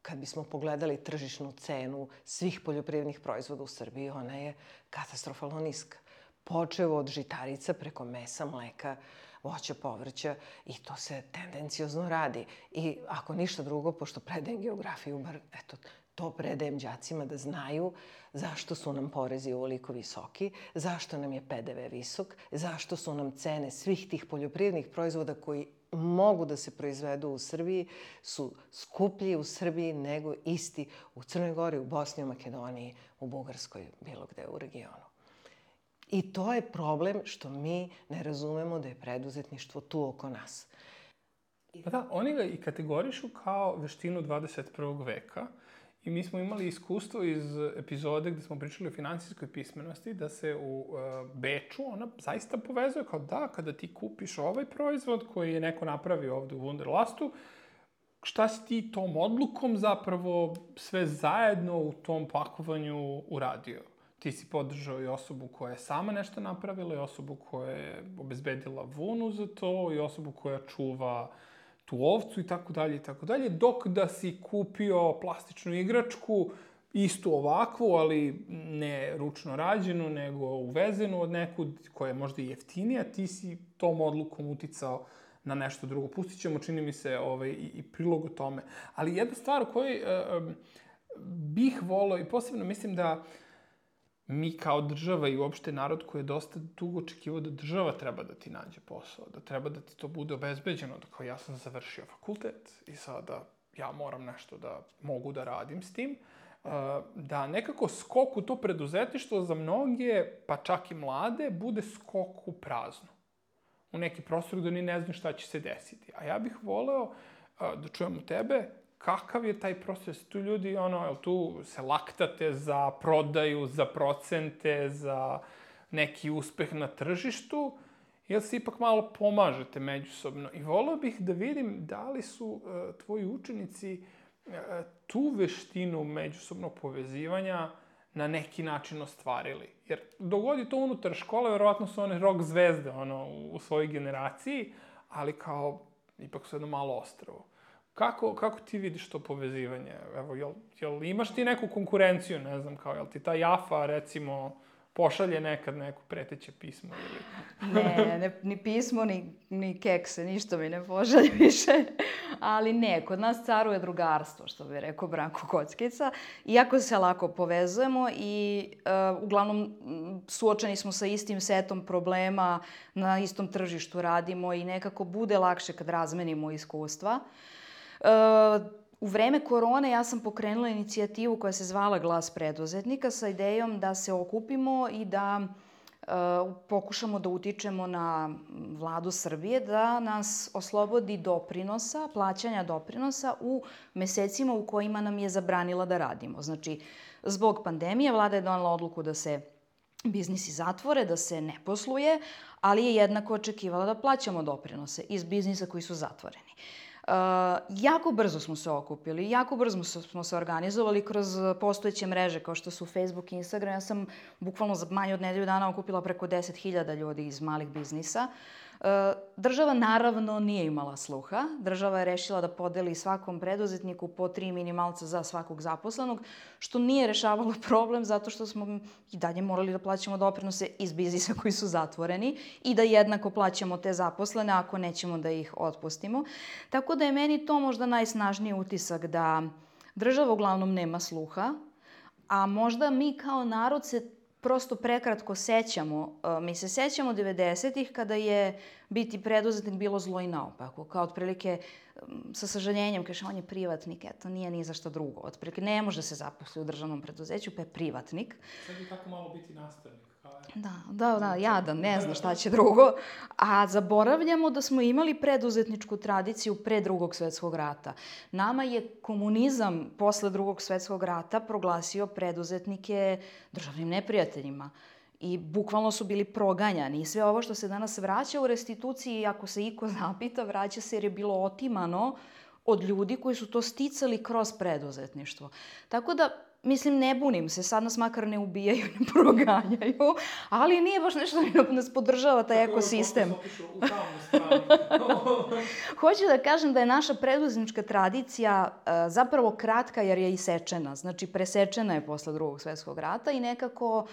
Speaker 7: kad bismo pogledali tržišnu cenu svih poljoprivrednih proizvoda u Srbiji, ona je katastrofalno niska. Počev od žitarica preko mesa, mleka, voća, povrća i to se tendencijozno radi. I ako ništa drugo, pošto predajem geografiju, bar eto, to predajem đacima da znaju zašto su nam porezi ovoliko visoki, zašto nam je PDV visok, zašto su nam cene svih tih poljoprivrednih proizvoda koji mogu da se proizvedu u Srbiji, su skuplji u Srbiji nego isti u Crnoj Gori, u Bosni, u Makedoniji, u Bugarskoj, bilo gde u regionu. I to je problem što mi ne razumemo da je preduzetništvo tu oko nas.
Speaker 6: Pa da, oni ga i kategorišu kao veštinu 21. veka. I mi smo imali iskustvo iz epizode gde smo pričali o finansijskoj pismenosti, da se u Beču ona zaista povezuje kao da, kada ti kupiš ovaj proizvod koji je neko napravio ovde u Wunderlastu, šta si ti tom odlukom zapravo sve zajedno u tom pakovanju uradio? Ti si podržao i osobu koja je sama nešto napravila, i osobu koja je obezbedila vunu za to, i osobu koja čuva tu ovcu i tako dalje, dok da si kupio plastičnu igračku, istu ovakvu, ali ne ručno rađenu, nego uvezenu od nekud koja je možda i jeftinija, ti si tom odlukom uticao na nešto drugo. Pustit ćemo, čini mi se, i prilog o tome. Ali jedna stvar o kojoj bih volao, i posebno mislim da mi kao država i uopšte narod koji je dosta dugo očekivao da država treba da ti nađe posao, da treba da ti to bude obezbeđeno, da kao ja sam završio fakultet i sada ja moram nešto da mogu da radim s tim, da nekako skok u to preduzetništvo za mnoge, pa čak i mlade, bude skok u prazno. U neki prostor gde oni ne znaju šta će se desiti. A ja bih voleo da čujemo tebe, kakav je taj proces? Tu ljudi, tu se laktate za prodaju, za procente, za neki uspeh na tržištu, ili se ipak malo pomažete međusobno? I voleo bih da vidim da li su tvoji učenici tu veštinu međusobnog povezivanja na neki način ostvarili. Jer dogodi to unutar škole, verovatno su one rock zvezde u svojoj generaciji, ali kao ipak su jedno malo ostrvo. Kako ti vidiš to povezivanje? Evo, jel imaš ti neku konkurenciju, ne znam, kao, jel ti ta Jafa, recimo, pošalje nekad neko preteće pismo ili...
Speaker 8: Ne, ni pismo, ni kekse, ništa mi ne pošalje više. Ali ne, kod nas caruje drugarstvo, što bi rekao Branko Kockica. Iako se lako povezujemo i uglavnom suočeni smo sa istim setom problema, na istom tržištu radimo i nekako bude lakše kad razmenimo iskustva. U vreme korone ja sam pokrenula inicijativu koja se zvala Glas preduzetnika sa idejom da se okupimo i da pokušamo da utičemo na vladu Srbije da nas oslobodi doprinosa, plaćanja doprinosa u mesecima u kojima nam je zabranila da radimo. Znači, zbog pandemije vlada je donela odluku da se biznisi zatvore, da se ne posluje, ali je jednako očekivala da plaćamo doprinose iz biznisa koji su zatvoreni. Jako brzo smo se okupili, jako brzo smo se organizovali kroz postojeće mreže kao što su Facebook i Instagram. Ja sam bukvalno za manje od nedelju dana okupila preko 10.000 ljudi iz malih biznisa. Država naravno nije imala sluha. Država je rešila da podeli svakom preduzetniku po 3 minimalca za svakog zaposlenog, što nije rešavalo problem zato što smo i dalje morali da plaćamo doprinose iz biznisa koji su zatvoreni i da jednako plaćamo te zaposlene ako nećemo da ih otpustimo. Tako da je meni to možda najsnažniji utisak da država uglavnom nema sluha, a možda mi kao narod se prosto prekratko sećamo. Mi se sećamo 90-ih kada je biti preduzetnik bilo zlo i naopako. Kao otprilike, sa sažaljenjem, kaže, on je privatnik, eto, nije ni za što drugo. Otprilike, ne može se zaposliti u državnom preduzeću, pa je privatnik.
Speaker 6: Sad bi tako malo biti nastavnik.
Speaker 8: Da, jadan, ne zna šta će drugo. A zaboravljamo da smo imali preduzetničku tradiciju pre Drugog svetskog rata. Nama je komunizam posle Drugog svetskog rata proglasio preduzetnike državnim neprijateljima. I bukvalno su bili proganjani. I sve ovo što se danas vraća u restituciji, ako se iko zapita, vraća se jer je bilo otimano od ljudi koji su to sticali kroz preduzetništvo. Tako da, mislim, ne bunim se, sad nas makar ne ubijaju, ne proganjaju, ali nije baš nešto da nas podržava taj ekosistem. Hoću da kažem da je naša preduzetnička tradicija zapravo kratka jer je isečena. Znači, presečena je posle Drugog svetskog rata i nekako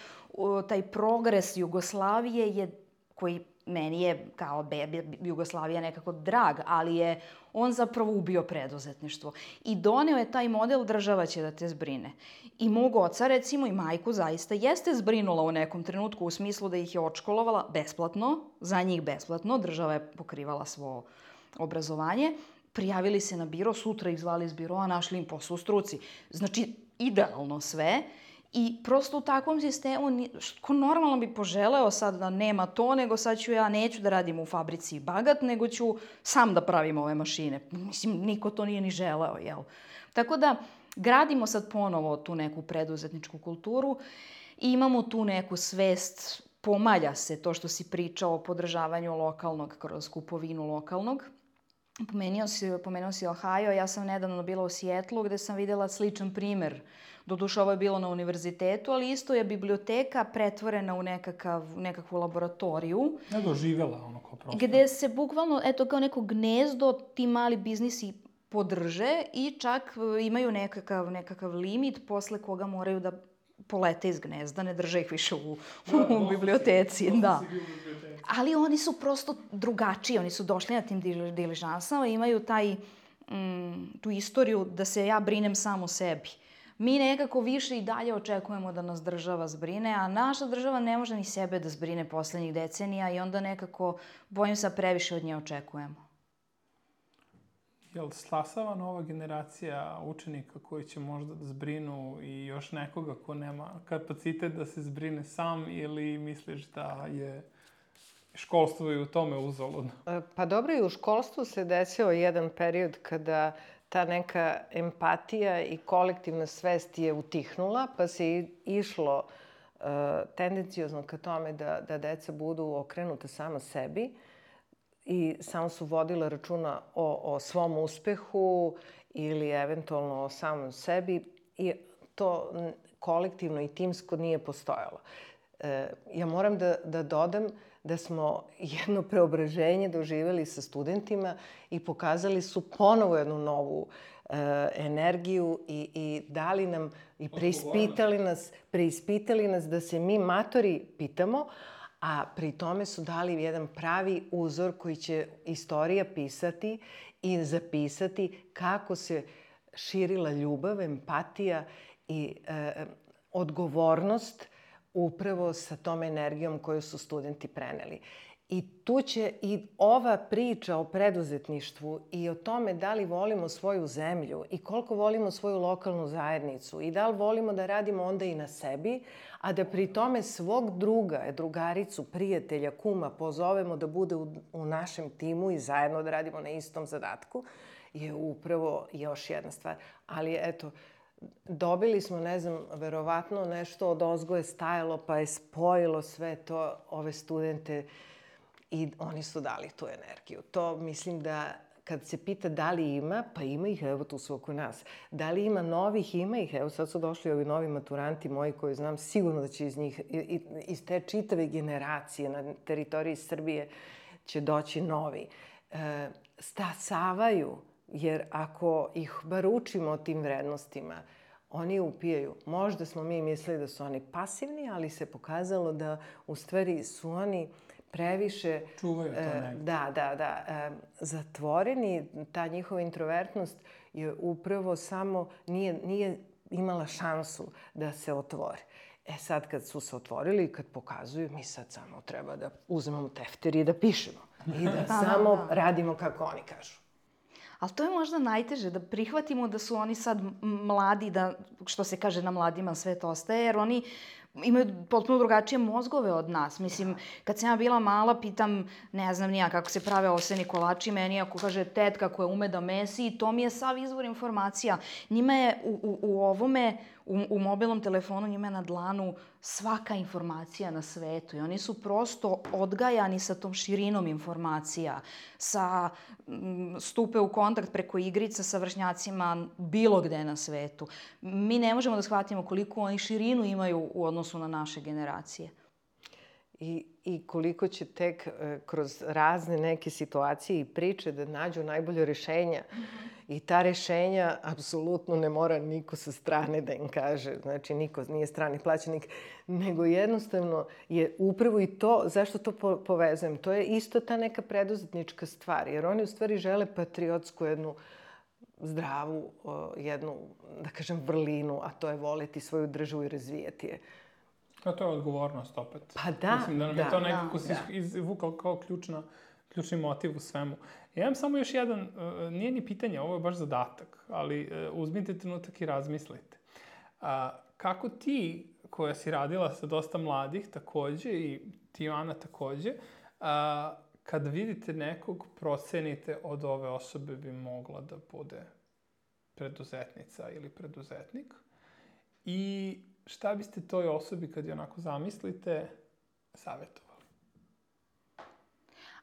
Speaker 8: taj progres Jugoslavije je, koji meni je kao bebi Jugoslavija nekako drag, ali je on zapravo ubio preduzetništvo. I doneo je taj model država će da te zbrine. I mog oca, recimo, i majku zaista jeste zbrinula u nekom trenutku u smislu da ih je odškolovala besplatno, za njih besplatno, država je pokrivala svo obrazovanje, prijavili se na biro, sutra ih zvali iz biroa, našli im posao u struci. Znači, idealno sve. I prosto u takvom sistemu, ko normalno bi poželeo sad da nema to, nego sad neću da radim u fabrici Bagat, nego ću sam da pravim ove mašine. Mislim, niko to nije ni želeo, jel? Tako da, gradimo sad ponovo tu neku preduzetničku kulturu i imamo tu neku svest, pomalja se to što si pričao o podržavanju lokalnog kroz kupovinu lokalnog. Pomenuo si Ohio, ja sam nedavno bila u Sijetlu gde sam videla sličan primer. Doduše, ovo je bilo na univerzitetu, ali isto je biblioteka pretvorena u nekakvu laboratoriju.
Speaker 6: Doživjela ono kao prostor.
Speaker 8: Gde se bukvalno, eto, kao neko gnezdo ti mali biznisi podrže i čak imaju nekakav limit posle koga moraju da polete iz gnezda, ne drže ih više u biblioteci. Da. Ali oni su prosto drugačiji, oni su došli na tim diližansama i imaju tu istoriju da se ja brinem sam o sebi. Mi nekako više i dalje očekujemo da nas država zbrine, a naša država ne može ni sebe da zbrine poslednjih decenija i onda nekako, bojim se, previše od nje očekujemo.
Speaker 6: Jel stasava nova generacija učenika koji će možda da zbrinu i još nekoga ko nema kapacitet da se zbrine sam ili misliš da je školstvo i u tome uzaludno?
Speaker 7: Pa dobro, i u školstvu se desio jedan period kada ta neka empatija i kolektivna svest je utihnula, pa se išlo tendenciozno ka tome da deca budu okrenuta sama sebi i samo su vodila računa o svom uspehu ili eventualno o samom sebi i to kolektivno i timsko nije postojalo. Ja moram da dodam da smo jedno preobraženje doživjeli sa studentima i pokazali su ponovo jednu novu energiju i dali nam i preispitali nas da se mi matori pitamo, a pri tome su dali jedan pravi uzor koji će istorija pisati i zapisati kako se širila ljubav, empatija i odgovornost upravo sa tom energijom koju su studenti preneli. I tu će i ova priča o preduzetništvu i o tome da li volimo svoju zemlju i koliko volimo svoju lokalnu zajednicu i da li volimo da radimo onda i na sebi, a da pri tome svog druga, drugaricu, prijatelja, kuma pozovemo da bude u našem timu i zajedno da radimo na istom zadatku, je upravo još jedna stvar. Ali eto, dobili smo, ne znam, verovatno nešto od ozgo je stajalo pa je spojilo sve to ove studente i oni su dali tu energiju. To mislim da kad se pita da li ima, pa ima ih, evo tu su oko nas. Da li ima novih, ima ih. Evo sad su došli ovi novi maturanti moji koji znam sigurno da će iz te čitave generacije na teritoriji Srbije će doći novi. Stasavaju, jer ako ih bar učimo o tim vrednostima, oni upijaju. Možda smo mi mislili da su oni pasivni, ali se pokazalo da u stvari su oni previše
Speaker 6: čuvaju to negdje.
Speaker 7: Da. Zatvoreni, ta njihova introvertnost je upravo samo nije imala šansu da se otvori. Sad kad su se otvorili i kad pokazuju, mi sad samo treba da uzmemo tefter i da pišemo. I da samo radimo kako oni kažu.
Speaker 8: Ali to je možda najteže, da prihvatimo da su oni sad mladi, da, što se kaže na mladima, svet ostaje, jer oni imaju potpuno drugačije mozgove od nas. Mislim, kad sam ja bila mala, pitam, ne znam nija kako se prave ovseni kolači, meni ako kaže tetka koja ume da mesi, to mi je sav izvor informacija. Njima je u ovome, u mobilnom telefonu, njima je na dlanu svaka informacija na svetu i oni su prosto odgajani sa tom širinom informacija, stupe u kontakt preko igrica sa vršnjacima bilo gde na svetu. Mi ne možemo da shvatimo koliko oni širinu imaju u odnosu na naše generacije.
Speaker 7: I koliko će tek kroz razne neke situacije i priče da nađu najbolje rješenja. I ta rješenja apsolutno ne mora niko sa strane da im kaže. Znači, niko nije strani plaćenik, nego jednostavno je upravo i to, zašto to povezujem? To je isto ta neka preduzetnička stvar, jer oni u stvari žele patriotsku jednu zdravu, jednu, da kažem, vrlinu, a to je voliti svoju državu i razvijati je.
Speaker 6: A to je odgovornost opet.
Speaker 7: Pa da,
Speaker 6: mislim da nam je to nekako se izvukao kao ključni motiv u svemu. Ja imam samo još jedan, nije ni pitanje, ovo je baš zadatak, ali uzmite trenutak i razmislite. Kako ti, koja si radila sa dosta mladih takođe i ti, Ana, takođe, kad vidite nekog, procenite od ove osobe bi mogla da bude preduzetnica ili preduzetnik i šta biste toj osobi, kad je onako zamislite, savjetovali?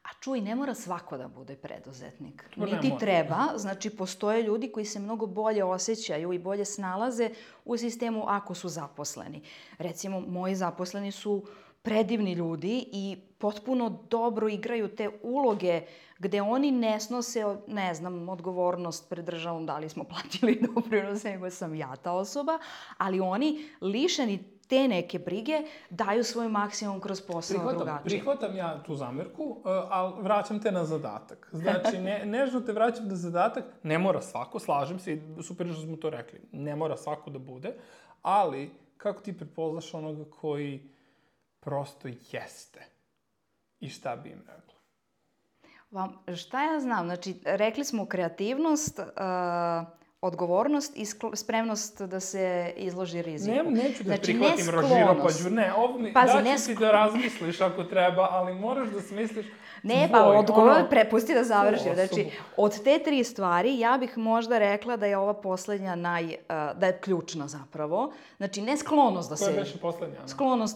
Speaker 8: A čuj, ne mora svako da bude preduzetnik. Niti treba. Znači, postoje ljudi koji se mnogo bolje osjećaju i bolje snalaze u sistemu ako su zaposleni. Recimo, moji zaposleni su predivni ljudi i potpuno dobro igraju te uloge gde oni ne snose, ne znam, odgovornost pred državom da li smo platili doprinose, nego sam ja ta osoba, ali oni lišeni te neke brige daju svoj maksimum kroz posao drugačije.
Speaker 6: Prihvatam ja tu zamerku, ali vraćam te na zadatak. Znači, nežno te vraćam na zadatak, ne mora svako, slažem se i super što smo to rekli, ne mora svako da bude, ali kako ti prepoznaš onoga koji prosto jeste i šta bi im rekla?
Speaker 8: Šta ja znam? Znači, rekli smo kreativnost, odgovornost i spremnost da se izloži riziku.
Speaker 6: Neću da prihvatim rožiropađu. Daću ti da razmisliš ako treba, ali moraš da smisliš
Speaker 8: odgovor prepusti da završim. Znači, od te 3 stvari ja bih možda rekla da je ova poslednja da je ključna zapravo. Znači, ne sklonost da se...
Speaker 6: Koja je više poslednja?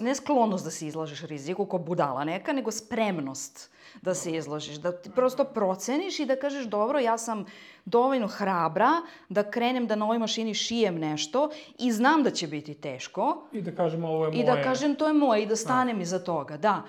Speaker 8: Ne sklonost da se izlažeš riziku ko budala neka, nego spremnost da se izložiš. Da ti prosto proceniš i da kažeš dobro, ja sam dovoljno hrabra da krenem da na ovoj mašini šijem nešto i znam da će biti teško.
Speaker 6: I da kažem ovo je moje.
Speaker 8: I da kažem to je moje i da stanem iza toga, da.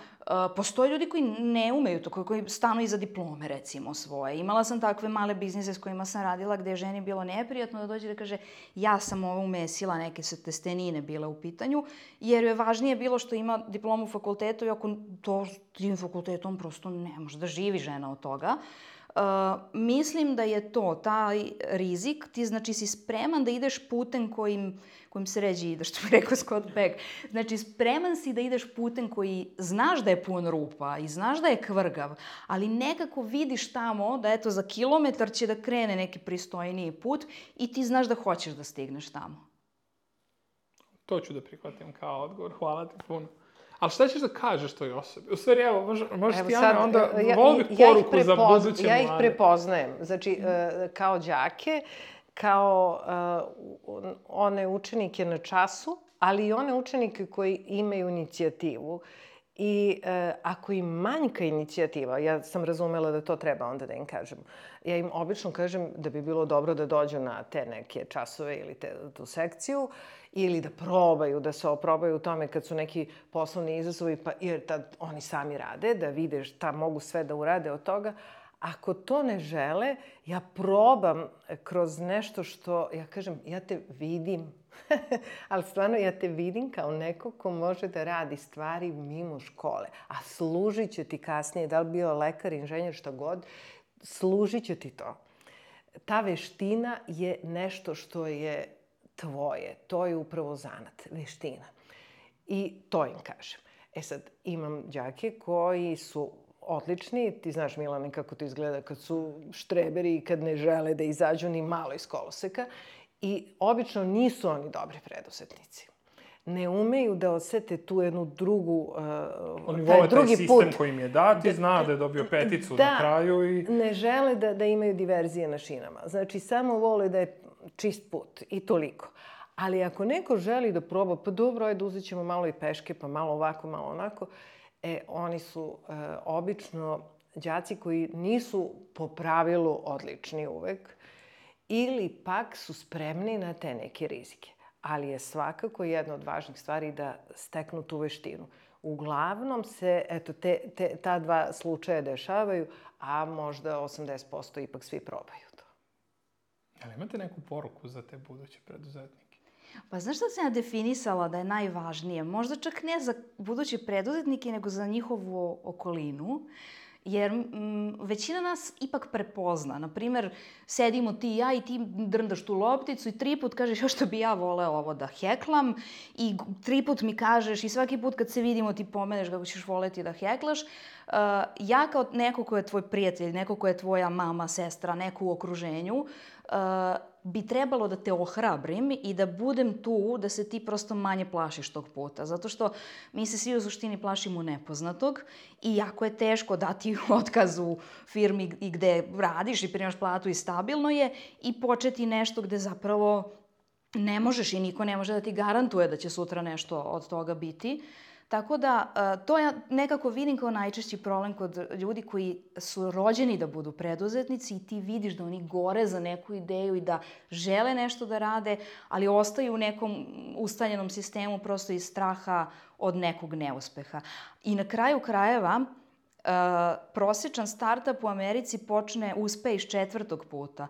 Speaker 8: Postoje ljudi koji ne umeju to, koji stanu iza diplome, recimo, svoje. Imala sam takve male biznise s kojima sam radila gde je ženi bilo neprijatno da dođe da kaže ja sam ovo umesila, neke su testenine bile u pitanju, jer je važnije bilo što ima diplomu u fakultetu i ako to tim fakultetom prosto ne može da živi žena od toga. Mislim da je to, taj rizik, ti znači si spreman da ideš putem kojim se ređe ide, što bi rekao Scott Peck. Znači, spreman si da ideš putem koji znaš da je pun rupa i znaš da je kvrgav, ali nekako vidiš tamo da eto za kilometar će da krene neki pristojniji put i ti znaš da hoćeš da stigneš tamo.
Speaker 6: To ću da prihvatim kao odgovor. Hvala ti puno. Ali šta ćeš da kažeš toj osobi? U stvari, evo, možeš ti, Ana, onda volio bih poruku za buduće mlade.
Speaker 7: Ja ih prepoznajem. Znači, kao đake, kao one učenike na času, ali i one učenike koji imaju inicijativu. I ako im manjka inicijativa, ja sam razumela da to treba onda da im kažem. Ja im obično kažem da bi bilo dobro da dođu na te neke časove ili tu sekciju ili da probaju, da se oprobaju u tome kad su neki poslovni izazovi, jer tad oni sami rade, da vide šta mogu sve da urade od toga. Ako to ne žele, ja probam kroz nešto što, ja kažem, ja te vidim. Ali stvarno ja te vidim kao neko ko može da radi stvari mimo škole. A služit će ti kasnije, da li bio lekar, inženjer, šta god, služit će ti to. Ta veština je nešto što je tvoje. To je upravo zanat, veština. I to im kažem. E sad, imam đake koji su odlični. Ti znaš, Milane, kako to izgleda kad su štreberi i kad ne žele da izađu ni malo iz koloseka. I obično nisu oni dobri preduzetnici. ne umeju da osete tu jednu drugu,
Speaker 6: Oni
Speaker 7: taj
Speaker 6: vole taj
Speaker 7: drugi
Speaker 6: sistem
Speaker 7: put.
Speaker 6: koji im je dat i zna da je dobio peticu na kraju i...
Speaker 7: Ne žele da imaju diverzije na šinama. Znači, samo vole da je čist put i toliko. Ali ako neko želi da proba, pa dobro, ajde, uzet ćemo malo i peške, pa malo ovako, malo onako, oni su obično đaci koji nisu po pravilu odlični uvek ili pak su spremni na te neke rizike. Ali je svakako jedna od važnih stvari da steknu tu veštinu. Uglavnom se, ta dva slučaja dešavaju, a možda 80% ipak svi probaju to.
Speaker 6: Ali imate neku poruku za te buduće preduzetnike?
Speaker 8: Pa znaš šta sam ja definisala da je najvažnije? Možda čak ne za buduće preduzetnike, nego za njihovu okolinu. Jer većina nas ipak prepozna. Naprimer, sedimo ti i ja i ti drndaš tu lopticu i 3 put kažeš još što bi ja voleo ovo da heklam i 3 put mi kažeš i svaki put kad se vidimo ti pomeneš kako ćeš voleti da heklaš. Ja kao neko ko je tvoj prijatelj, neko ko je tvoja mama, sestra, neko u okruženju, bi trebalo da te ohrabrim i da budem tu, da se ti prosto manje plašiš tog puta. Zato što mi se svi u suštini plašimo nepoznatog i jako je teško dati otkaz u firmi i gde radiš i primaš platu i stabilno je i početi nešto gde zapravo ne možeš i niko ne može da ti garantuje da će sutra nešto od toga biti. Tako da, to ja nekako vidim kao najčešći problem kod ljudi koji su rođeni da budu preduzetnici i ti vidiš da oni gore za neku ideju i da žele nešto da rade, ali ostaju u nekom ustaljenom sistemu prosto iz straha od nekog neuspeha. I na kraju krajeva, prosječan startup u Americi uspe iz 4. puta.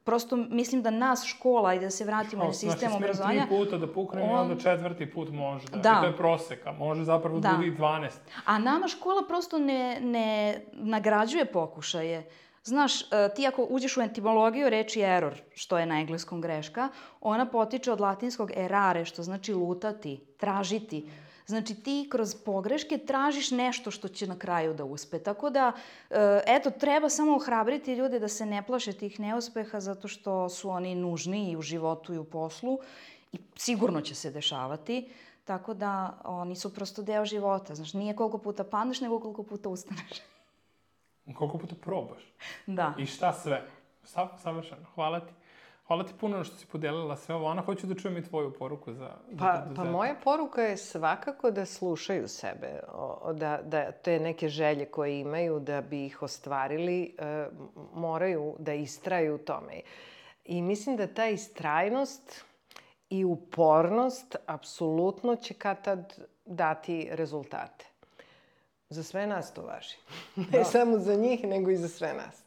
Speaker 8: Prosto mislim da nas škola, i da se vratimo na sistem obrazovanja...
Speaker 6: Znači, 3 puta da pukne i onda 4. put može. Da. I to je proseka. Može zapravo da bude i 12.
Speaker 8: A nama škola prosto ne nagrađuje pokušaje. Znaš, ti ako uđeš u etimologiju reči error, što je na engleskom greška, ona potiče od latinskog errare, što znači lutati, tražiti. Znači ti kroz pogreške tražiš nešto što će na kraju da uspe. Tako da, treba samo ohrabriti ljude da se ne plaše tih neuspeha zato što su oni nužni i u životu i u poslu i sigurno će se dešavati. Tako da oni su prosto deo života. Znaš, nije koliko puta padneš, nego koliko puta ustaneš.
Speaker 6: Koliko puta probaš.
Speaker 8: Da.
Speaker 6: I šta sve. Savršeno. Hvala ti. Hvala ti puno što si podelila sve ovo. Ana, hoću da čujem i tvoju poruku za
Speaker 7: Pa moja poruka je svakako da slušaju sebe, da te neke želje koje imaju da bi ih ostvarili, moraju da istraju u tome. I mislim da ta istrajnost i upornost apsolutno će kad tad dati rezultate. Za sve nas to važi. Ne samo za njih, nego i za sve nas.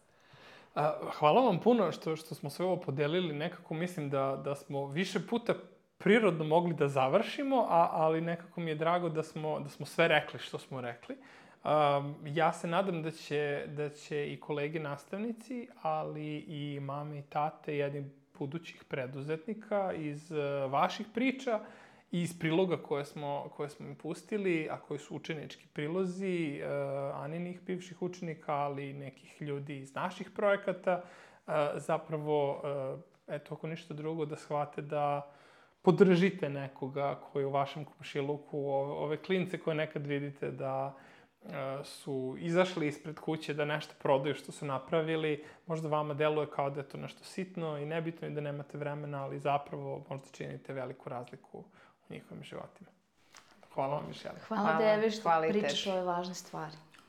Speaker 6: Hvala vam puno što smo sve ovo podelili. Nekako mislim da smo više puta prirodno mogli da završimo, ali nekako mi je drago da smo sve rekli što smo rekli. Ja se nadam da će i kolege nastavnici, ali i mame i tate jednih budućih preduzetnika iz vaših priča i iz priloga koje smo im pustili, a koji su učenički prilozi Aninih bivših učenika, ali i nekih ljudi iz naših projekata, zapravo, ako ništa drugo, da shvate da podržite nekoga koji u vašem komšiluku, ove klince koje nekad vidite da su izašli ispred kuće da nešto prodaju što su napravili. Možda vama deluje kao da je to nešto sitno i nebitno i da nemate vremena, ali zapravo možda činite veliku razliku u njihovim životima. Hvala vam još jednom.
Speaker 8: Hvala tebi što pričaš ove važne stvari.